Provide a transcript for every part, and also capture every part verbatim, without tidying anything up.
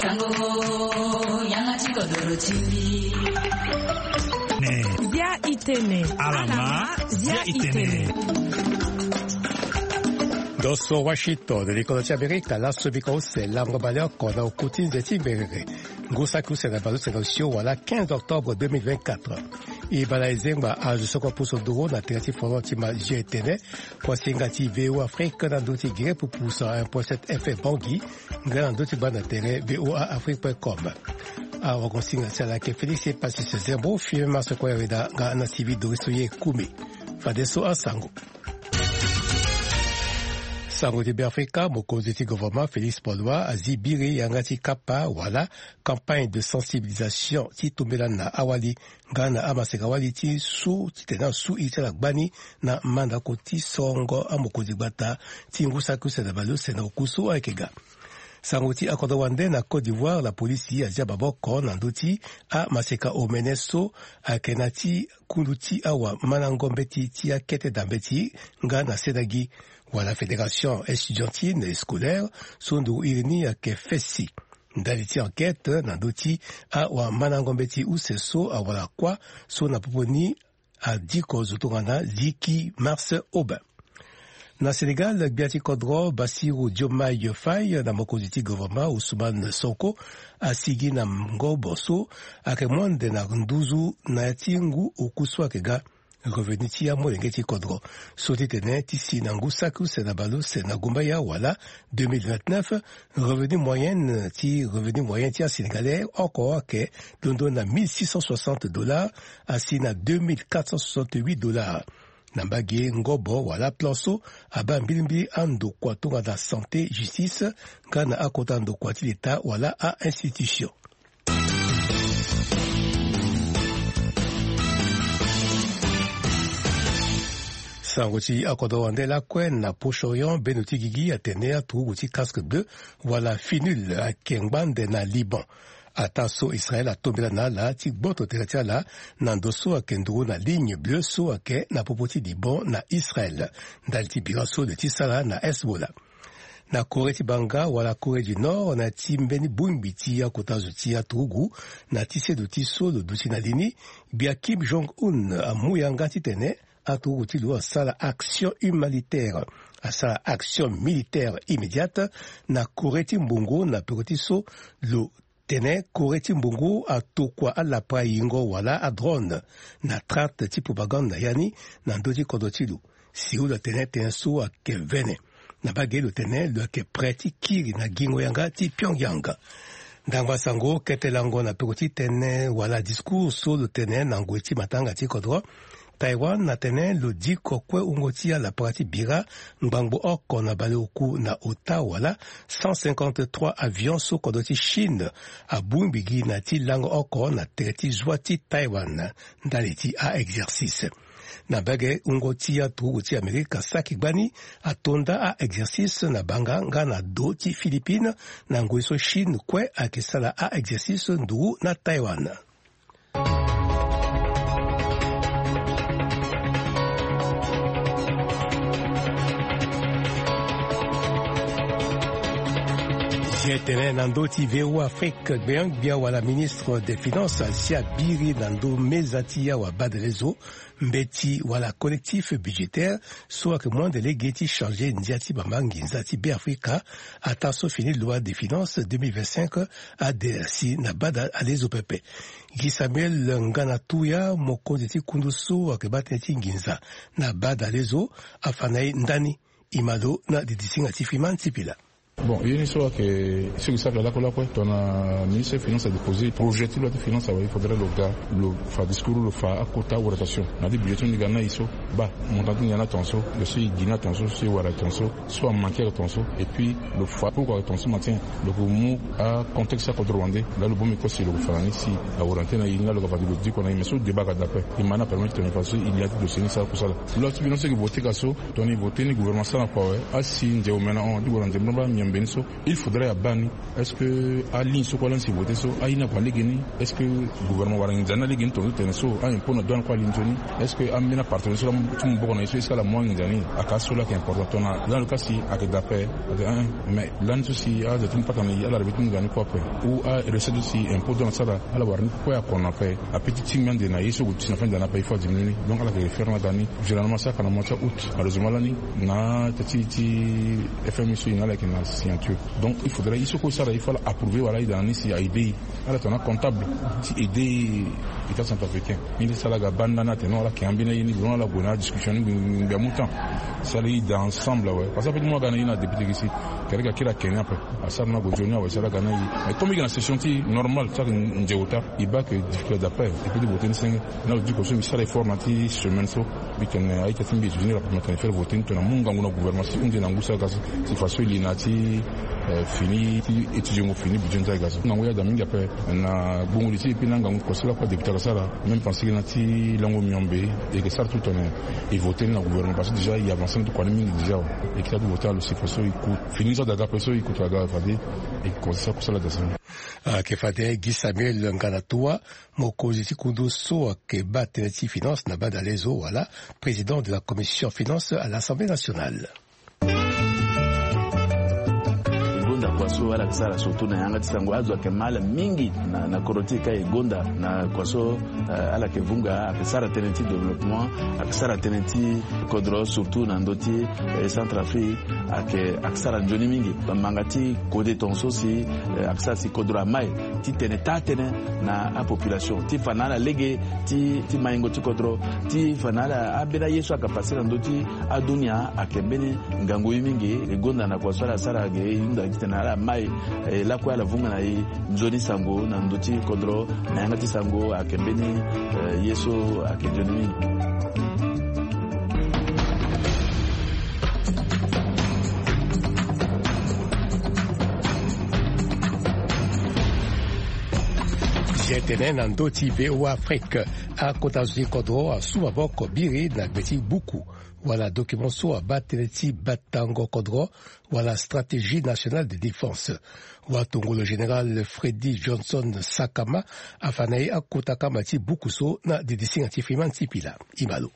Sango, yanga ti kodoro ti mbi. Ne. Zia itene. Alama, zia itene. Ndo so Washington, likolo ti Amerika, laso bika use lango baleoko na oku ti nze ti mberere. Ngu saki use na baleuse na osio wala quinze octobre deux mille vingt-quatre. E bala e zengba azo so kue pusu nduru na tere ti folon ti ma zia etene. Kuasinga ti V O A Afrique na ndö ti gere pupu cent un point sept F M Bangui, nga na ndö ti banda tere V O A Afrique point com. Awagosinga ti ala ayeke Félix Epasis Zembo, Firmin Masoko Yareda nga na Sylvie Doris Oye Koumi. Fadeso asango. Sango ti Beafrika, mokonzi ti gouvernement Félix Paul Wa azi biri yanga ti kapa wala campagne de sensibilisation ti tombela na awali nga na amaseka wali ti su titene asu iri ti ala gbani na mandako ti sorongo amokonzi gbata ti ngu saki use na baleuse na oku so ayeke ga. Sango ti akodro wande na Côte d'Ivoire, la polisi azia maboko na ndö ti amaseka omene so ayeke na ti kundu ti awamandango mbeti ti akete da mbeti nga na sedagi wala fédération estudiantine et scolaire so nduru iri ni ayeke fesi. Ndali ti enquête na ndö ti awamandango mbeti use so awara kuâ so na popo ni adiko zo tongana Ziki Mars Aubin. Na Sénégal, gbia ti kodro Bassirou Diomaye Faye na mokonzi ti gouvernement Ousmane Sonko asigi na ngobo so ayeke monde na nduzu na ya ti ngu oku so ayeke ga. Revenu ti amolenge ti kodro so titene ti si na ngu saki use na baleuse na gumbaya wala deux mille vingt-neuf, revenu moyenne ti revenu moyen ti asénégalais oko ayeke londo na mille six cent soixante dollars, asi na deux mille quatre cent soixante-huit dollars. Na mbage ngobo wala plan so abaa mbilimbili andokua tongana santé, justice, nga na akota ndokua ti leta wala a-institution. Sango ti akodro wande lakue na Proche-Orient, bendo ti gigi atene aturugu ti casque bleu wala finul ayeke ngbande na Liban. Ataa so Israël atombela na ala ti gboto tere ti ala na ndo so ayeke nduru na ligne bleue so ayeke na popo ti Liban na Israël, ndali ti bira so lo ye ti sara na Hezbollah. Na Corée ti banga wala Corée du Nord, na ya ti mbeni bongbi ti akota zo ti aturugu, na ti sedo ti so lo duti na li ni, gbia Kim Jong-un amu yanga titene aturugu ti lo asara action humanitaire, asara action militaire immédiate na Corée ti mbongo, na peko ti so lo tene Corée ti mbongo atokua alapa yingo wala adrone na tract ti propagande na ya ni na ndö ti kodro ti lo. Séoul atene tënë so ayeke vene. Na mbage lo tene lo yeke prêt ti kiri na gingo yanga ti Pyongyang. Ndangba sango kete lango na peko ti tënë wala discours so lo tene na ngoi ti matanga ti kodro. Taïwan atene lo diko kue wungo ti alapara ti bira ngbangbo oko na baleoku na ota wala cent cinquante-trois avions so kodro ti Chine abongbi gi na ti lango oko na tere ti zwa ti Taïwan, ndali ti a-exercice. Na mbage wungo ti aturugu ti Amerika saki gbani ato nda a-exercice na banga nga na do ti Philippines, na ngoi so Chine kue ayeke sara a-exercice nduru na Taïwan. Ye tene na ndö ti V O A Afrique, gbengbia wala ministre des finances asia biri na ndö meza ti awabadalezo mbeti wala collectif budgétaire so ayeke mu ande lege ti changer ndia ti bamba nginza ti Beafrika, ataa so fini loi de finances deux mille vingt-cinq ade asi na bada alezo pepe. Guy Samuel Ngana Touya, mokonzi ti kundu so ayeke baa tënë ti nginza na bada alezo, afa na e ndani. E ma lo na didisinga ti Fiman ti Pila. Bon, ye ni so ayeke sigi sara lakue lakue, tongana ministre ti finance adéposé projet ti loi ti finance awe, il faudrait lo ga, lo fa discours, lo fa akota orientation na ya ti budget ti ni ga na e so, baa montant ti ni ayeke na tongaso, lo so e gi na tongaso, so e wara tongaso, so amanke ayeke tongaso, et puis lo fa pourquoi ayeke tongaso matin. Lo yeke mu acontexte akodro wande, laa lo bongbi kue si lo yeke fa na ni si aorienté na e ni, laa lo yeke fa lo diko na e. Mais so débat ayeke daa kue, e ma ni apermettre tongana e fa so e lia ti dossier ni sara kusala. Loi ti finance so e yeke voté ga so, tongana e voté ni, gouvernement asara na kua awe, asi nze omena hon, adi wara nze mbrambra mia. Mbeni so il faudrait abaa ni. Est-ce que aligne so kue ala ni si voter so aye ni akua lege ni? Est-ce que gouvernement wara nginza ni na lege ni tongaso tene so a impôt na douane kue ali nzoni? Est-ce que ambeni apartenaire so la ti mu boko na ye so est-ce que ala mu anginza ni? Aka aso la ayeke important tongana dans le cas si ayeke daa ape. Ate un mais lani so si aza ti mu pata na ye ala rebe ti mu nginza ni kue ape. Ou arecette so si impôt douane asara ala wara ni kue akua na ape. Ape ti tingbi ande na ye so ague ti si na fin d'année ape il faut adiminuer ni. Donc ala yeke faire ni aga ni. Généralement asara ka na mois ti août, malheureusement lani na ata ti ti F M I so e na ala yeke na signature. Donc il faudrait ye so kue e sara il faut ala approuver wala aye daa na ni si aide e. Ala tongana comptable ti aider état centrafricain. Ni laa si ala ga banda ni atene non ala yeke ambeni aye ni, vraiment ala gue na adiscussion ni ngbi ngbi amu temps. Si ala ye daa ensemble awe parce que ape ti mu aga na ye na député gi si. Kere ga kiri akene ape. Asara ni ague nzoni awe si ala ga na ye. Mais comme e yeke na session ti normal ti ayeke nze ota. E baa ke difficulté d'appel e peut ti voter ni senge. Na lo diko so mbi sara effort na ti semaine so mbi tene a-ita ti mbi e soutenir ape, mbi tene faire voter ni tongana mu ngangu na gouvernement si e hunzi na ngu so aga so si faso e li na ya ti fini ti étudiango fini budget ni so aga so ngangu ye ada mingi ape. Na gbongo li ti e puis na ngangu kua so lakue adéputé aga sara même pense ke na ti lango miombe e yeke sara tout tongana e voter ni na gouvernement parce que déjà e avancer na ti kua ni mingi déjà awe. E yeke sara ti voter na lo si faso e ku fini ni so ada ga ape so e kutu aga fade e yeke commencer sara kusala da so. Ayeke fade Guy Samuel Ngana Toua, mokonzi ti kundu so ayeke baa tënë ti finance na badalezo wala président de la commission finance à l'Assemblée nationale. E gonda kua so ala yeke sara surtout na yanga ti sango azo ayeke ma ala mingi na, na kodro ti e ka e gonda na kua so, eh, ala yeke vunga ayeke sara tënë ti développement, ayeke sara tënë ti kodro surtout na ndö ti, eh, Centrafrique. Ayeke, ayeke sara nzoni mingi. Manga ti kode tongaso si, eh, ayeke sara si kodro amai titene taa tënë na apopulation ti fa na ala lege ti, ti maingo ti kodro ti fa na ala ambeni aye so ayeke pase na ndö ti adunia ayeke mbeni ngangu ye mingi. E gonda na kua so ala sara ge e hunda titene ala mai, eh, lakue ala vunga na e nzoni sango na ndö ti kodro na yanga ti sango ayeke mbeni, eh, ye so ayeke nzoni mingi. Zia tene na ndö ti V O A Afrique, akota zo ti kodro asu maboko biri na gbe ti buku wala document so abaa tënë ti batango kodro wala stratégie nationale de défense. Watongolo général Freddy Johnson Sakama afa na e akota kama ti buku so na didisinga ti Freeman Sipila. E ma lo.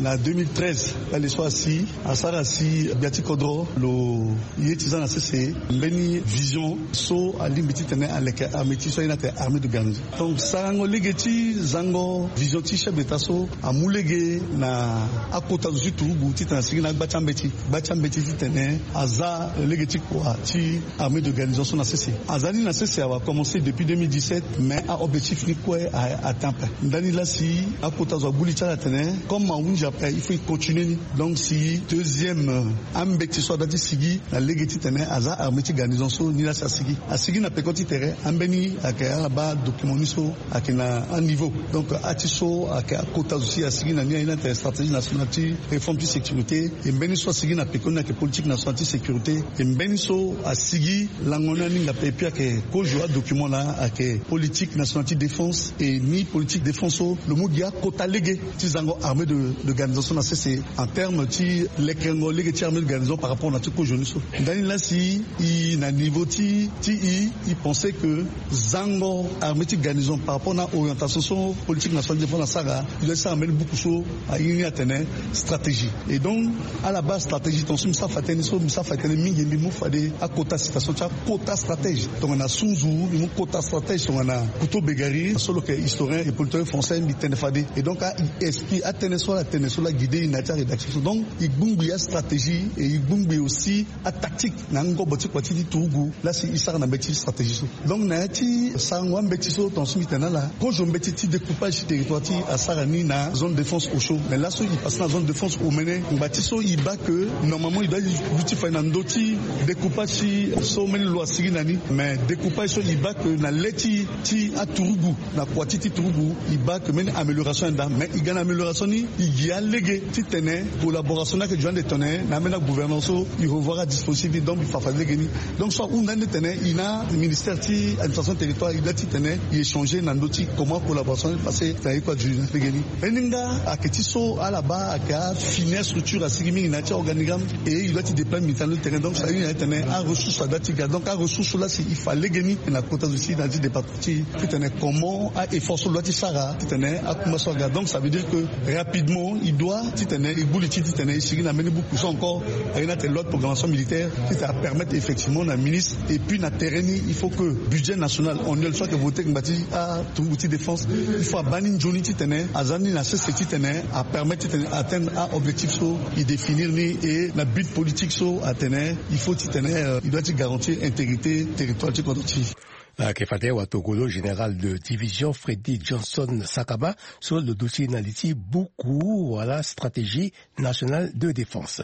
Na deux mille treize, kpale so asi asara si gbia ti kodro lo ye ti za na sese mbeni vision so alingbi titene aleke armée ti so aye ni atene armée de garnison. Donc sarango lege ti zango vision ti chef d'état so amu lege na akota zo ti turugu titene asigi na agba ti ambeti, gba ti ambeti titene aza lege ti kua ti armée de garnison so na sese. Aza ni na sese awa commencé depuis deux mille dix-sept, mais a-objectif ni kue a atteint ape. Ndani laa si akota zo agbu li ti ala atene comme ahunzi ape il faut e continuer ni. Donc si deuxième, euh, ambeti so ada ti sigi na lege titene aza armée ti garnison so ni laa si asigi. Asigi na peko ti tere ambeni ayeke ala baa document ni so ayeke na aniveau. Donc ati so ayeke akota zo si asigi na ni aye ni atene stratégie nationale ti réforme ti sécurité. E mbeni so asigi na peko ni ayeke politique nationale ti sécurité. E mbeni so asigi lango ni aninga ape et puis ayeke kozo adocument laa ayeke politique nationale ti défense. E ni politique défense so lo mu gi akota lege ti zango armée de, de garnison so na sese en terme ti lekerengo lege ti armée de garnison par rapport na ti kozo ni so. Ndani laa si e na niveau ti, ti e, e pensé que zango armée ti garnison par rapport na orientation so politique nationale ti défense asara, e doit ti sara mbeni buku so aye ni atene stratégie. Et donc ala baa stratégie tongaso mbi sara fa tënë so, mbi sara fa tënë mingi mbi mu fade akota citation ti akota stratège tongana sunzu, mbi mu kota stratège tongana Couteau-Begari so lo yeke historien et politique français, mbi tene fade. Et donc a explique atënë so ala tene so laa e guide e na ya ti arédaction so. Donc e gbungbi astratégie et e gbungbi aussi atactique na angobo ti kua ti ti turugu laa si e sara na mbeti stratégie so. Donc na ya ti sarango ambeti so tongaso mbi tene na ala, kozo mbeti ti découpage ti territoire ti e asara ni na zone défense Osio. Mais laso e passé na zone défense Omene, ngba ti so e baa que normalement e doit duti fa na ndö ti découpage ti so mbeni lo asigi na ni. Mais découpage so e baa que na le ti, ti aturugu na kua ti ti turugu e baa que mbeni amélioration ayenda. Mais e ga na amélioration ni e Ya lege titene collaboration ni ayeke duti ande tene na ambeni agouvernance so e revoir adispositif ni, donc e fa fa lege ni. Donc so ahunda ni titene e na ministère ti administration territoire e doit titene e échanger na ndö ti comment collaboration ni passé na ye kue adu na lege ni. Aye ni nga ayeke ti so ala baa ayeke afini astructure asigi mingi na ya ti aorganigramme, et e doit ti déployer militaire na ndö ti terrain. Donc so aye ni na ye titene aressource adoit ti ga. Donc aressource so laa si e fa lege ni na kota zo ti na ya ti département ti titene comment a effort so lo doit ti sara titene akuma so aga. Donc ça veut dire que rapidement e doit titene e gbu li ti titene e sigi na mbeni buku so encore aye ni atene loi de programmation militaire titene apermettre effectivement na ministre. Et puis na terrain ni il faut que budget national annuel so ayeke voté ngba ti aturugu ti défense, il faut abaa ni nzoni titene aza ni na sese titene apermettre titene atteindre aobjectif so e définir ni. Et na but politique so atene il faut titene euh, e doit ti garantir intégrité territoire ti kodro ti. Ayeke fade watokolo général de division Freddy Johnson Sakaba so lo duti na li ti buku wala stratégie nationale de défense.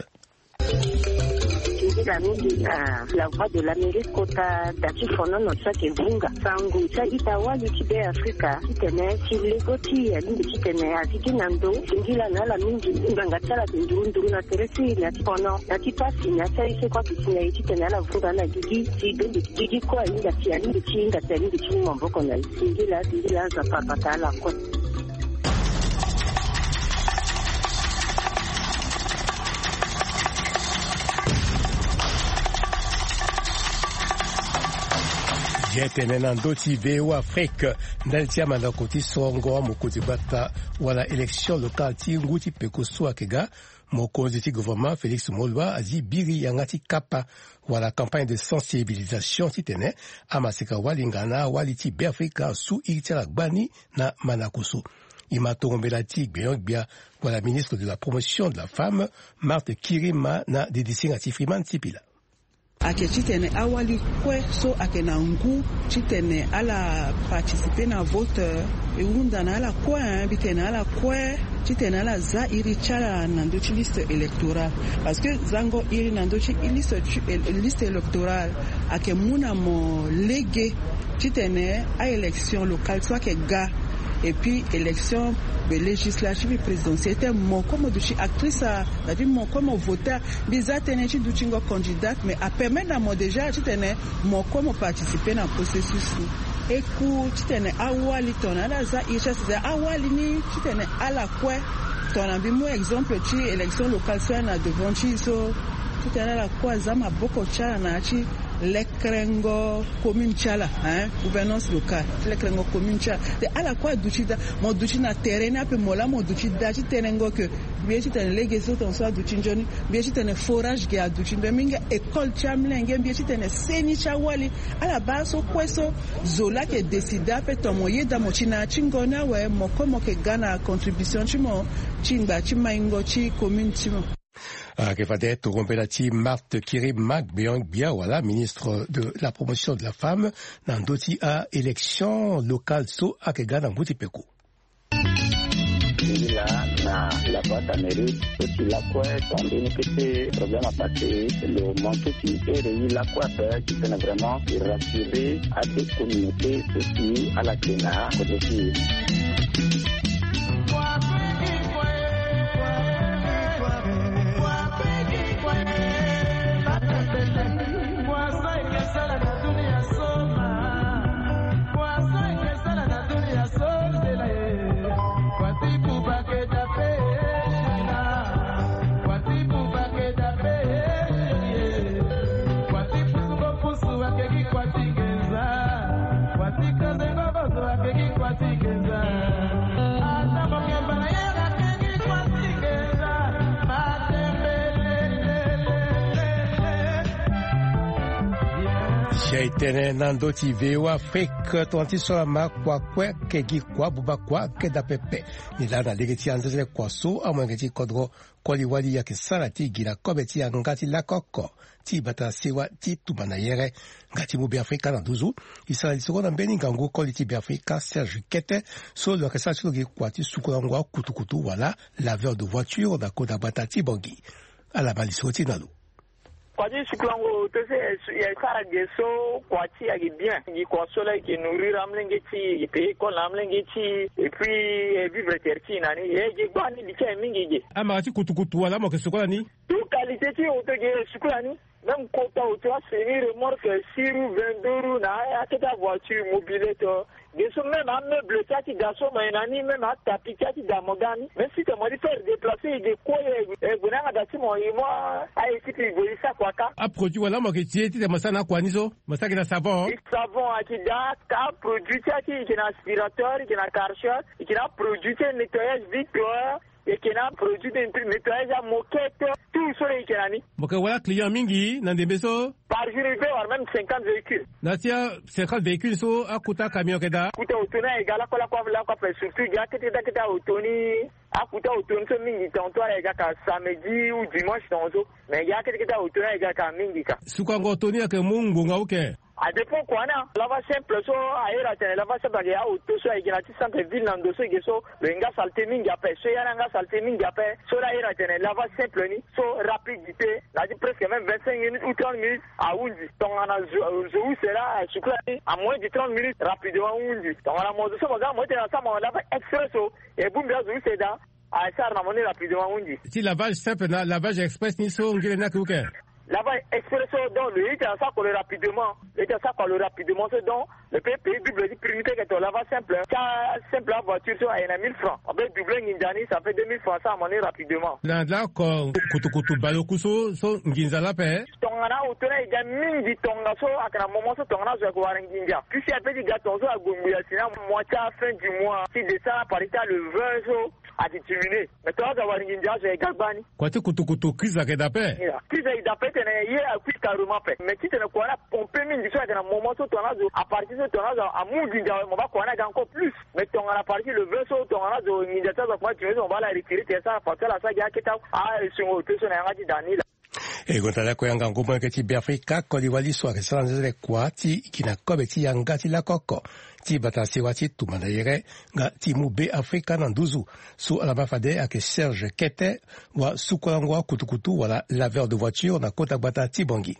Nzila mingi na La Voix de l'Amérique kota da ti fonono so ayeke vunga sango ti a-ita wali ti Be Afrika titene ti lego ti e alingbi titene azi gi na ndo singila na ala mingi. Ngbanga ti ala ayeke nduru nduru na tere ti e na ti fono na ti pasi na ya ti aye so kue ayeke si na e titene ala vunga na gigi. Ti dongi gigi kue ahinga si alingbi ti hinga si alingbi ti mu maboko na e. Singila singila Nzapa abata ala kue. Ye tene na ndö ti V O A Afrique ndali ti amandako ti sorongo amokonzi gbata wala élection locale ti ngu ti peko so ayeke ga. Mokonzi ti gouvernement Félix Moloua azi biri yanga ti kapa wala campagne de sensibilisation titene amaseka wali nga na awali ti Be Afrika asu iri ti ala gbani na mandako so. E ma tongo mbela ti gbenyo-gbia wala ministre de la promotion de la femme, Marthe Kirima, na didisinga ti Freeman Sipila. Ayeke titene awali kue so ayeke na ngu titene ala participer na vote, e hunda na ala kue, hein, mbi tene na ala kue titene ala za iri ti ala na ndö ti liste électorale. Parce que zango iri na ndö ti liste, liste électorale ayeke mu na mo lege titene a-élection locale so ayeke ga, et puis élection be législative et présidentielle, titene mo kue mo duti actrice, c'est-à-dire mo kue mo voter. Mbi za tënë ti dutingo candidate, mais apermettre na mo déjà titene mo kue mo participer na processus ni. E ku titene awali tongana ala za iri ti ala, c'est-à-dire awali ni titene ala kue, tongana mbi mu exemple ti élection locale so ayeke na devant ti e so, titene ala kue aza maboko ti ala na ya ti lekerengo commune ti ala, hein, gouvernance locale, ti lekerengo commune ti ala. Te ala kue aduti da, mo duti na terrain ni ape, mo laa mo duti da ti tënëngo ke mbi ye titene lege so tongaso aduti nzoni, mbi ye titene forage ge aduti nzoni, mbi nga école ti amolenge, mbi ye titene seni ti awali. Ala baa so kue so zo laa ayeke décider ape, tongana mo yeda mo ti na ya ti ngo ni awe, mo kue mo yeke ga na contribution ti mo ti ngba ti maingo ti commune ti mo. Ayeke fade tongo mbela ti Marthe Kirima, gbenyo-gbia wala ministre de la promotion de la femme, na ndö ti a-élection locale so ayeke ga na ngu ti peko. Singila na La Voix d'Amérique so si lakue tongana mbeni kete problème apassé, lo manqué si ere ye lakue ape titene vraiment e rassurer ade communauté so si ala yeke na kodro ti e. Si aye tene na ndö ti V O A Afrique, tongana ti so ala ma kua kue, kegi kua, buba kua, keda pepe. Ni laa na lege ti anzenzele kua so amolenge ti kodro koli wali ayeke sara ti gi na kobe ti yanga ti lakoko ti bata sewa ti tumba na yere. Nga ti mu Beafrika na nduzu, e sara lisoro na mbeni ngangu koli ti Beafrika Serge Kete, so lo yeke sara ti lo gi kua ti sukulango akutukutu wala laveur de voiture na kota gbata ti Bangui. Ala ma lisoro ti na lo. Kua ti sukulango oto so e sara ge so kua ti e ayeke bien. Gi kua so laa e yeke nourrir amolenge ti e, e yeke payer école na amolenge ti e, et puis e vivre tere ti e na ni. E ge gbani li ti aye mingi ge. Amara ti kutukutu wala mo yeke suku ala ni? Tout qualité ti oto ge e suku ala ni. Même kota oto, asemi remorque, six roues, vingt-deux roues, na akete avoiture, mobilette. Ge so même ameuble ti ake da so mo ye na ni, même atapi ti ake da mo ga ni. Même si te mo di faire déplacer, e ge kue, e gue na yanga da ti mo, e mo aye ti pe e gue e sa kua ka. Aproduit wala mo yeke ti e ti te mo sara na akua ni so? Mo sara gi na savon? Savon ake da, ka produit ti ake, e yeke na aspirateur, e yeke na karcher, e yeke na aproduit ti nettoyage vitre, e yeke na produit de nettoyage amoquette, tout so e yeke na ni. Mo yeke wara client mingi na ndembe so? Par jour e peut avoir même cinquante véhicules. Na ti a cinquante véhicules so, akota camion ayeke daa? Kota oto ni ayeke ga lakue lakue lakue ape, surtout gi akete kete akete aoto ni. Akota oto ni so mingi tongaso ala yeke ga ka samedi ou dimanche tongaso. Mais gi akete kete aoto ni ayeke ga ka mingi ka. Sukulango oto ni ayeke mu ngbonga uke? Adépend kua ni. Lavage simple so, a iri atene lavage simple ayeke aoto so ayeke na ti centre ville na ndo so e ge so, lo ye nga saleté mingi ape. So ya ni anga saleté mingi ape, so laa a iri atene lavage simple ni so, rapidité na ya ti presque même vingt-cinq minutes ou trente minutes ahundi. Tongana zo, zo use laa asuku lani, en moins de trente minutes rapidement ahundi. Tongana mo zo so mo ga mo ti tene asara mo lavage express so, e bongbi azo use daa, asara na mo ni rapidement ahundi. Ti lavage simple na lavage express ni so ngere ni ayeke uke? Lavage express so, donc lo ye ti asara kua lo rapidement. Lo ye ti asara kua lo rapidement so, donc lo peut payer double ti prix ni, peut que to lavage simple, ti asimple avoiture so aye na mille francs, on peut doubler nginza ni, ça fait deux mille francs, asara mo ni rapidement. Na lako kutukutu baleoku so, so nginza laa ape? Tongana aoto ni aye ga mingi tongaso, ayeke na moment so tongana azo ayeke wara nginza. Puisque ape ti ga tongaso ague ngbii asi na mois ti afin du mois ti décembre, à partir ti le vingt so, ayeke diminuer. Mais tongana azo awara nginza, azo ayeke ga gbani. Kua ti kutukutu crise ayeke daa ape? Crise ayeke daa ape ti tene ye akui carrément ape. Mais ti tene kua ni apompe mingi so ayeke na moment so tongana azo, à partir so tongana azo amu nginza awe, mo baa kua ni aga encore plus. Mais tongana à partir le vingt so tongana azo nginza ti azo akoma diminuer so, mo baa ala retirer tene asara facture, ala sara gi akete asengo oto so na yanga ti da ni laa. E gonda lakue yanga ngu molenge ti Beafrika, koli wali so ayeke sara nzenzele kua ti gi na kobe ti yanga ti lakoko ti bata sewa ti tumba na yere nga ti mu Beafrika na nduzu. So ala ma fade ayeke Serge Kete, wa sukulango akutukutu wala laveur de voiture na kota gbata ti Bangui.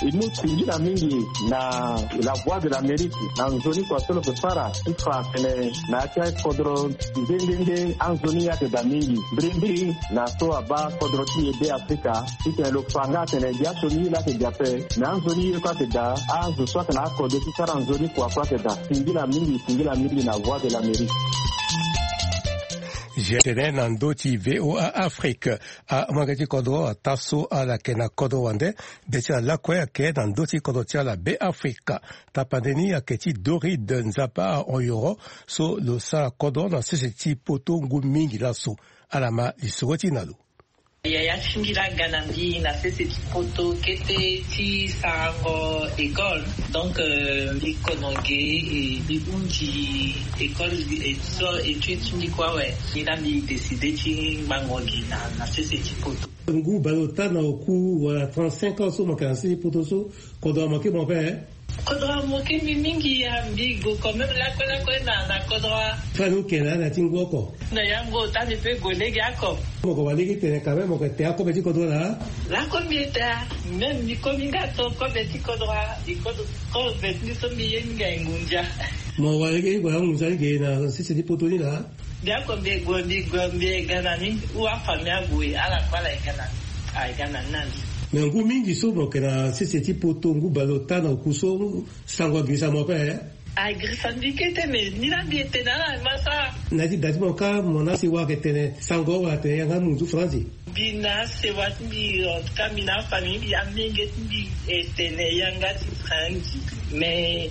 E mu singila mingi na La Voix de l'Amérique na nzoni kua so lo yeke sara ti fa atene na ya ti akodro nde nde nde anzoni ye ayeke daa mingi. Mbirimbiri na so abaa kodro ti e Beafrika, ti tene lo fa nga atene gi asioni ye laa ayeke daa ape, me anzoni ye kue ayeke daa, azo so ayeke na akode ti sara nzoni kua kue ayeke daa. Singila mingi, singila mingi na Voix de l'Amérique. Zia tene na ndö ti V O A Afrique, amolenge ti kodro ataa so ala yeke na kodro wande, be ti ala lakue ayeke na ndö ti kodro ti ala Beafrika. Tapande ni ayeke ti Doride Nzapa Oyoro, so lo sara kodro na sese ti poto ngu mingi laso. Ala ma lisoro ti na lo. Yaya ti mbi laa aga na mbi na sese ti poto kete ti sarango école. Donc, euh, mbi kono ge, e mbi hundi école, e so étude ti mbi kue awe. Ni laa mbi décide ti ngbanga gi na, na sese ti poto. Ngu baleota na oku wala trente-cinq ans so mo yeke na sese ti poto so, kodro amoke mo ape, eh? Kodro amoke mbi mingi, ya mbi gue quand même lakue lakue na, na kodro. Fani oke na ala ti ngu oko? Na yango ota mbi pe gue lege oko. Mo ko wa lege tene quand même mo ko te akobe ti kodro laa? Lako mbi eta, même mbi komi nga to kobe ti kodro, mbi kodro, kobe ti mbi so mbi ye ni nga e ngunza. Mo wa lege ni gue angunza ni ge na sese ti poto ni laa? Bianco mbi gue, mbi gue, mbi ye ga na ni, ou afamille ague, ala kue ala ye ga na ni, aye ga na ni na ni. Me ngu mingi so mo yeke na sese ti poto, ngu baleota na oku so, sango agirisa mo ape, eh? Agirisa mbi kete, me ni laa mbi ye tene ala ma sara. Na ya ti da ti mo kâ, mo na asewa ayeke tene sango wala atene yanga munzu faranzi? Mbi na asewa ti mbi, en tout cas mbi na afamille mbi, amenge ti mbi e tene yanga ti faranzi. Mais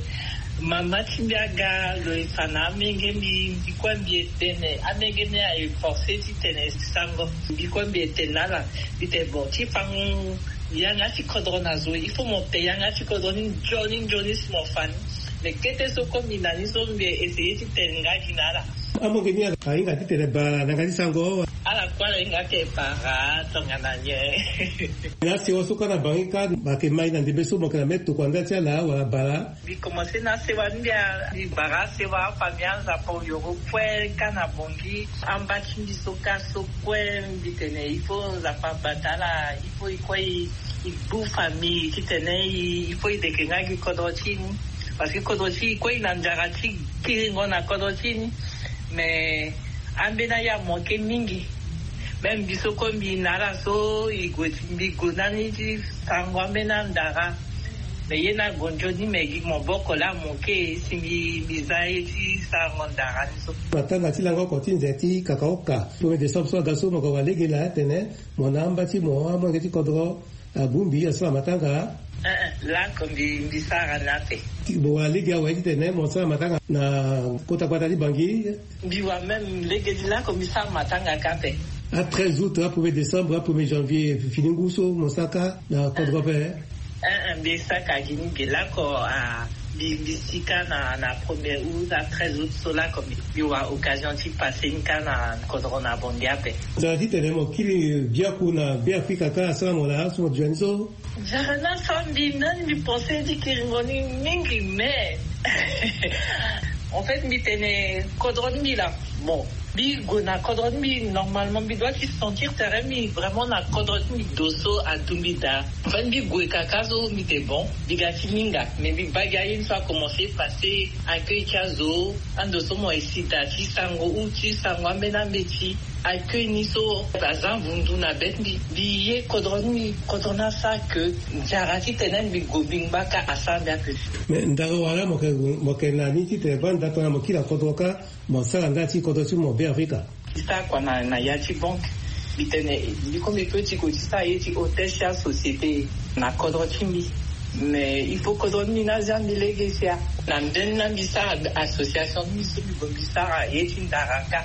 mama ti mbi aga lo e fa na amenge mbi, mbi kue mbi e tene, amenge mbi aye forcé ti tene sango. Mbi kue mbi e tene na ala, mbi tene bon, ti fango yanga ti kodro na zo, il faut mo te yanga ti kodro ni nzoni nzoni si mo fa ni. Mais kete so kue mbi na ni so mbi e essayer ti tene nga gi na ala. Amolenge ni ahinga titene bara na yanga ti sango. Ala kue ala hinga titene bara tongana nyen? Na sewa so kâ na bangi kâ, ayeke mai na ndembe so mo yeke na me tokua nda ti ala wala bara. Mbi komanse na sewa ni, mbi bara sewa afamille a Nzapa oyoro kue kâ na Bangui. Amba ti mbi so kâ so kue mbi tene il faut Nzapa abata ala, il faut e kue e gbu famille titene e, il faut e leke nga gi kodro ti e ni. Parce que kodro ti e kue e na nzara ti kiringo na kodro ti e ni. Mais ambeni aye amanke mingi. Même mbi so kue mbi na ala so e gue ti mbi gue ndani ti sango ambeni andara. Mais ye ni ague nzoni, mais gi maboko laa amanke si mbi, mbi za ye ti sango ndara ni so. Matanga ti lango oko ti nze ti kakaoka premier décembre so aga so mo ga wa lege laa tene mo na amba ti mo amolenge ti kodro abongbi asara matanga. Eh, eh, lako mbi, mbi sara ni ape. Mo wa lege awe titene mo sara matanga na kota gbata ti Bangui? Mbi wa même lege ti lako mbi sara matanga kâ ape. A treize août, a premier décembre, a premier janvier, fini ngu so mo sara kâ na kodro ape? Eh, eh, mbi sara kâ gi ni ge lako, ah, mbi, mbi si kâ na, na premier août, a treize août so lako mbi, mbi wa occasion ti passer ni kâ na kodro na Bangui ape. Nzara titene mo kiri biaku na Beafrika kâ asara mo laa so mo duti ni so? Nzara ni asara mbi ndani, mbi pensé ti kiringo ni mingi, mais en fait mbi tene kodro ti mbi laa. Bon, mbi gue na kodro ti mbi, normalement mbi doit ti sentir tere mbi vraiment na kodro ti mbi, do so adu mbi daa. En fait mbi gue kaka so mbi tene bon, mbi ga ti hinga, mais mbi baa gi aye ni so akomanse passer accueil ti azo, ando so mo esi daa ti sango ou ti sango ambeni ambeti. Accueil ni so aza vundu na be ti mbi. Mbi ye kodro ni, kodro ni asara ke nzara titene mbi gue mbi ngba kâ asara mbi ape. Mais ndara wala mo yeke, mo yeke na ni titene baa nda tongana mo kiri na kodro kâ mo sara nda ti kodro ti mo Beafrika? Mbi sara kua na, na ya ti banque. Mbi tene mbi kue mbi peut ti gue ti sara ye ti hôtel ti asociété na kodro ti mbi. Mais il faut kodro ti mbi ni azia mbi lege sia. Na mbeni laa mbi sara association ti mbi so mbi gue mbi sara ye ti ndara kâ.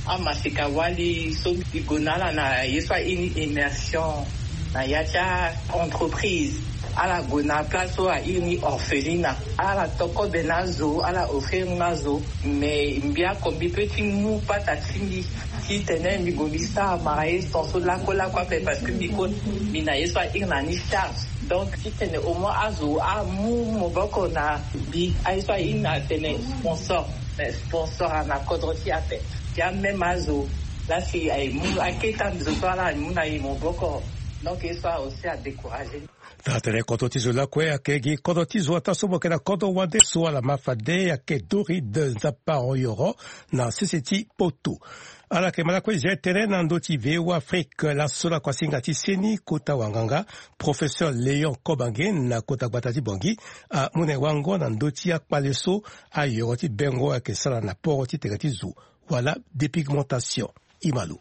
Amaseka wali so mbi gue na ala na ye so airi ni immersion na ya ti a-entreprise. Ala gue na place so airi ni orphelina. Ala to kobe na azo, ala offrir ni azo. Mais mbi oko mbi peut ti mu pata ti mbi titene mbi gue mbi sara mara ye so lakue lakue ape, parce que mbi kue mbi na ye so airi na ni charge. Donc titene au moins azo amu maboko na mbi, aye so airi na tene sponsor. Mais sponsor ana kodro ti e ape. Ti ameme azo laa si aye mu akete ando so ala amu na e maboko. Donc ye so aussi adécouragé. Tara tene kodro ti zo lakue ayeke gi kodro ti zo ataa so mo yeke na kodro wande so ala ma fade ayeke Doride Nzapa Oyoro na sese ti Poto. Ala yeke ma lakue zia tënë na ndö ti V O A Afrique laso na kuasinga ti seni kota wanganga, professeur Léon Kobange na kota gbata ti Bangui, amu na e wango na ndö ti akpale so ayoro ti bengo ayeke sara na poro ti tene ti zo wala dépigmentation. Imalo.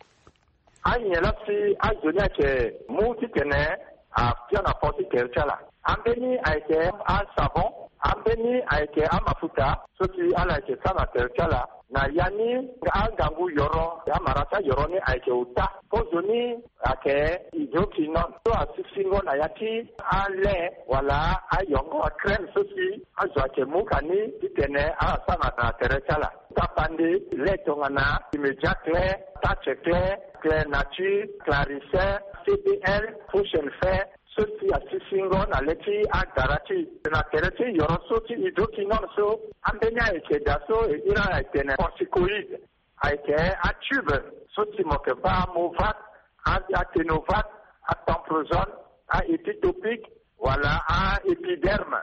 Anyen laa si azo ni ayeke mu titene afia na poro ti tere ti ala. Ambeni ayeke asavon, ambeni ayeke amafuta so si ala yeke sara na tere ti ala. Na ya ni angangu yoro, amara ti ayoro ni ayeke ota. Pozo ni ayeke hydroquinone so asisingo na ya ti ale wala ayongo, acrème so si azo ayeke mu ka ni titene ala sara na tere ti ala. Tapande le tongana Immédiat Clair, Touch Clair, Clair Nature, Clarissin, C B L, Potion Fair, so si asisingo na le ti agara ti e. Na tere ti yoro so ti hydroquinone so, ambeni ayeke daa so e iri ala etene corticoïde. Ayeke atube so si mo yeke baa Movat, a-, aténovate, atomprosone, a-épitopique, wala a-épiderme.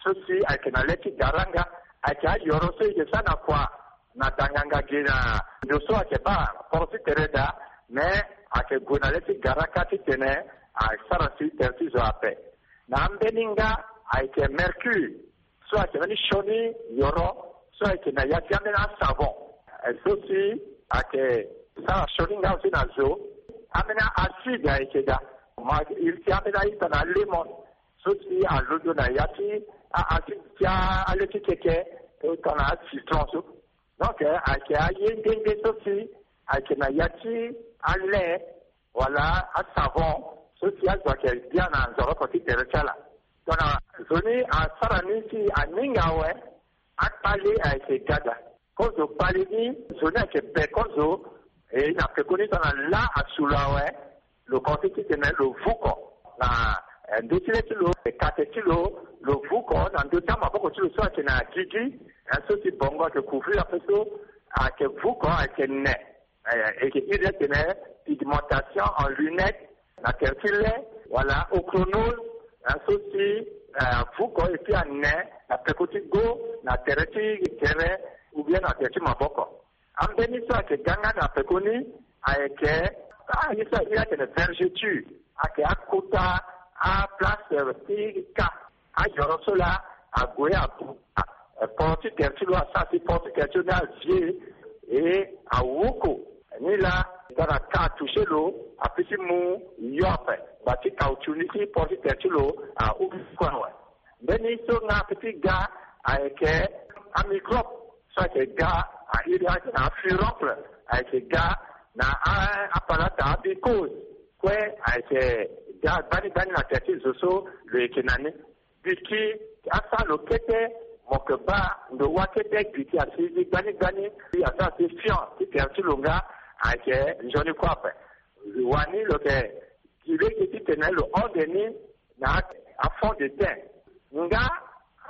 So si ayeke na le ti garanga, ayeke ayoro so e yeke sara na kua na danganga ge na ndo so ayeke baa poro ti tere daa, me ayeke gue na le ti garaka titene asara si tere ti zo ape. Na ambeni nga ayeke mercure, so ayeke mbeni sioni yoro so ayeke na ya ti ambeni asavon. Eh, so si ayeke sara sioni nga aussi na zo. Ambeni acide ayeke daa. Mo iri ti ambeni a-ita na lemon so si alondo na ya ti a-, acide ti a-, ale ti keke, eh, tongana acitron so. Donc, eh, ayeke aye nde nde so si ayeke na ya ti ale wala asavon so si azo ayeke bia na nzoroko ti tere ti ala. Tongana zo ni asara ni si aninga awe, akpale ayeke gada. Kozo kpali ni, zo ni ayeke be kozo. E na pekoni so na lâ asu lo awe. Lo konzi titene lo vuko na, eh, ndö ti le ti lo, eh, kate ti lo. Lo vuko na ndö ti amaboko ti lo so ayeke na gigi, eh, so si bongo ayeke couvrir ape so, ayeke vuko, ayeke ne. Eh, e yeke iri atene pigmentation en lunette na tere ti le, wala ochronose, eh, so si, eh, avuko et puis ane na peko ti go, na tere ti gere, ou bien na tere ti maboko. Ambeni so ayeke ga nga na peko ni ayeke, ah, ye so aye atene vergeture, ayeke akota aplace, eh, ti ka. Ayoro so laa ague abuka, eh, port ti tere ti lo, asara si port ti tere ti lo ni avie, e awoko. Ni laa, tara ka atouche lo, ape ti mu yo ape. Ngba ti caoutchouc ni ti port ti tere ti lo ahubi kue awe. Mbeni so nga ape ti ga ayeke amicrobe so ayeke ga, a iri atene afuroncle, ayeke ga na a, apalata, amicose kue, ayeke ga gbani gbani na tere ti zo so lo yeke na ni. Gbi ki asara lo kete, mo yeke baa ndo wâ kete gbi ki asi zi gbani gbani, asara si fion ti tere ti lo nga ayeke nzoni kue ape. Wani lo yeke gi lege titene lo hon de ni na afond de teint. Nga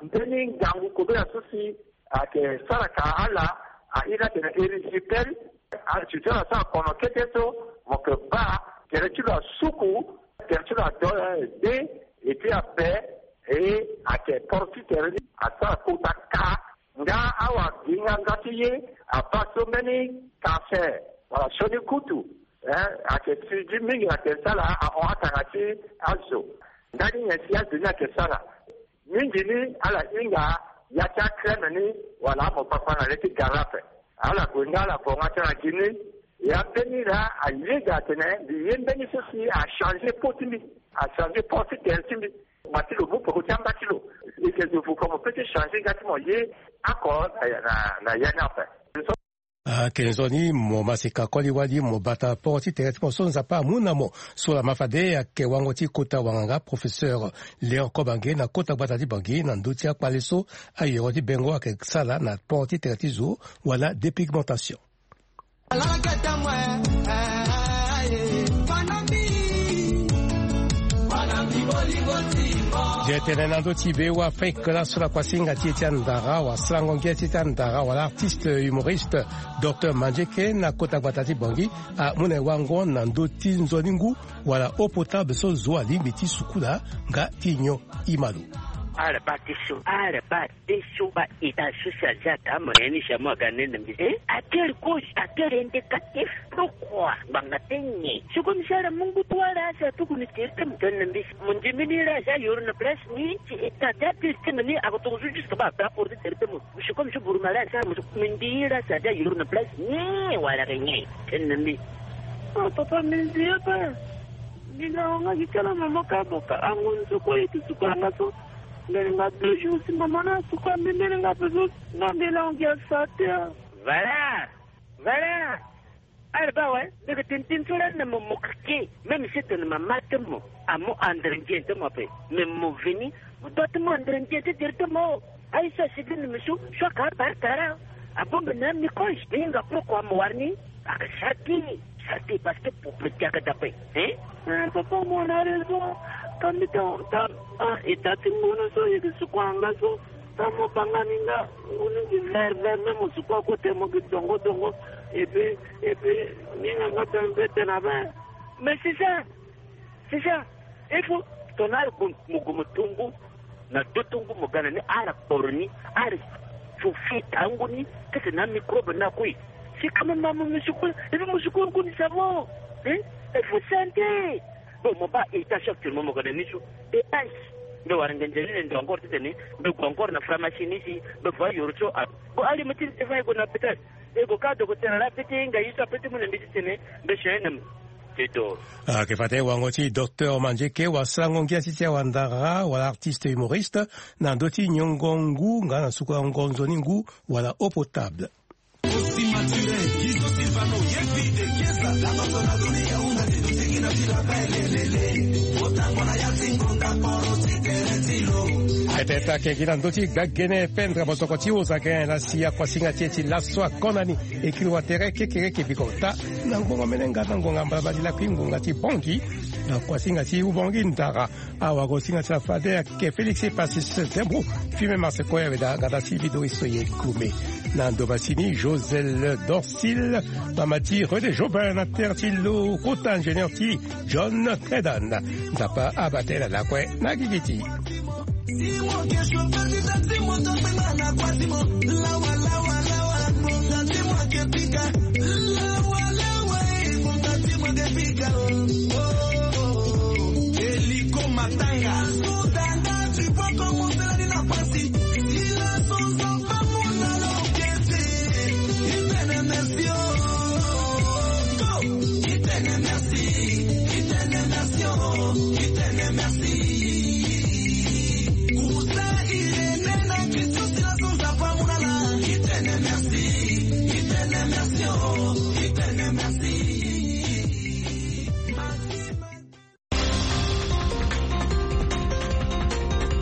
mbeni ngangu kobela so si ayeke sara ka ala, a iri atene erysipelas. Azo ti ala asara kono kete so, mo yeke baa tere ti lo asuku, tere ti lo ado, eh, de, et puis ape, e ayeke poro ti tere ni asara kota ka. Nga awa gi nga nga ti ye abaa so mbeni cancer wala sioni kutu, eh, ayeke sigi mingi na tere ti ala ahon atanga ti azo. Ndani nyen si azo ni ayeke sara? Mingi ni ala hinga ya ti acrème ni wala amopapa na le ti gara ape. Ala gue nga ala bonga ti ala gi ni. Ya mbeni laa ayeda atene mbi ye mbeni so si achange peau ti mbi, achange port ti tere ti mbi. Ngba ti lo mu peko ti amba ti lo. E yeke zo vuko mo peut ti change nga ti mo ye oko na, na, na ya ni ape. Ayeke nzoni mo masika koli wali mo bata port ti tere ti mo so Nzapa amu na mo. So laa ma fade ayeke wango ti kota wanganga, professeur Léon Kobange na kota gbata ti Bangui na ndö ti akpale so ayoro ti bengo ayeke sala na port ti tere ti zo wala dépigmentation. Ye tene na ndö ti be wa Afrique, laso la kuasinga ti e ti andara wala sarango ngia ti e ti andara wala artiste humoriste, docteur Mandieke na kota gbata ti Bangui, amu na e wango na ndö ti nzoni ngu wala eau potable so zo alingbi ti sukula nga ti nyon. Imalo. Ala baa ti so, ala baa ti so, baa état social ti ataa mo, nyen ni si amu aga nene na mbi. Eh? À quelle cause? À quel indicatif? Pourquoi? Ngbanga ti nyen? Sikoyo mbi sara mu ngu ti wâ laa si atuku ni tere ti mo tene na mbi. Mo ndimi ni laa si ayoro na place ni, si état ti atere ti mo ni ako tongaso juste baa ape aporo ti tere ti mo. Sikoyo mbi so buruma laa si mo so mbi ndi laa si ade ayoro na place ni wala ke nyen? Tene na mbi. Ah, papa, mbi ndi ape. Mbi na wanga gi kala mama ka boka ango nzoko ye ti suka nga so. Mbele nga deux jours si mama na suka mbi mbele nga pe so. Nga mbele ango gi asa te. Voilà. Voilà. Ala baa awe, mbi yeke tene tënë so lani na mo, mo keke. Même si tene mama ti mo amu andre ndien ti mo ape, mais mo veni, mo doit ti mu andre ndien ti tere ti mo. Aye so asigi na mbi so, so aka abare tara. Abongbi na mbi koy, mbi hinga pourquoi mo wara ni? Aka sara ti, sara ti parce que pour petit aka dape. Hein? Eh, papa, mo na raison. Ka mbi ta, ta, ah, état ti ngunu so, ye ti suku anga so. Tango mo banga ni nga, ngunu ti vert vert, même mo suku akote mo gi dongo dongo. Et puis, et puis, ni nga nga tene mpe tene ape. Mais c'est ça, c'est ça. Il faut tongana ala gue mo gue mo to ngu na dö ti ngu mo ga na ni, ala kporo ni, ala fu fi tangu ni, kete na amicrobe ni akui. Si quand même mo mo mo suku, et puis mo suku ngu ni ça va. Hein? Il faut santé. Bon, mo baa état so actuellement mo ga na ni so. E ayi. Mbi wara ngenze ni na ndo encore titene mbi gue encore na pharmacie ni si mbi voit yoro so a. Bon, ali mo ti ni te fa e gue na hôpital. E gue ka docteur laa peut ti hinga ye so apeut ti mu na mbi titene mbi soigner na mo. Te doro. Ayeke fade wango ti docteur Mandieke wala sarango ngia ti ti awandara wala artiste humoriste na ndö ti nyongo ngu nga na suku yango nzoni ngu wala eau potable. Ete ete ayeke gi na ndö ti gbagene pendre botoko ti ozagen na si akuasinga ti e ti laso akona ni. Ekiri wa tere kekereke biko ota na ngonga mene nga na ngonga mbala bali lakui ngonga ti bongi na kuasinga ti ubongi ndara. Awa kuasinga ti la fade ayeke Félix Epasis Zembo. Fime marse kue awe da gada si bido iso ye kume na ndo masini Josel Dorsil, mama ti René Jobin na terre ti lo kota ingénieur ti John Tredan. Nzapa abate na lakue na gigi ti Eliko matanga.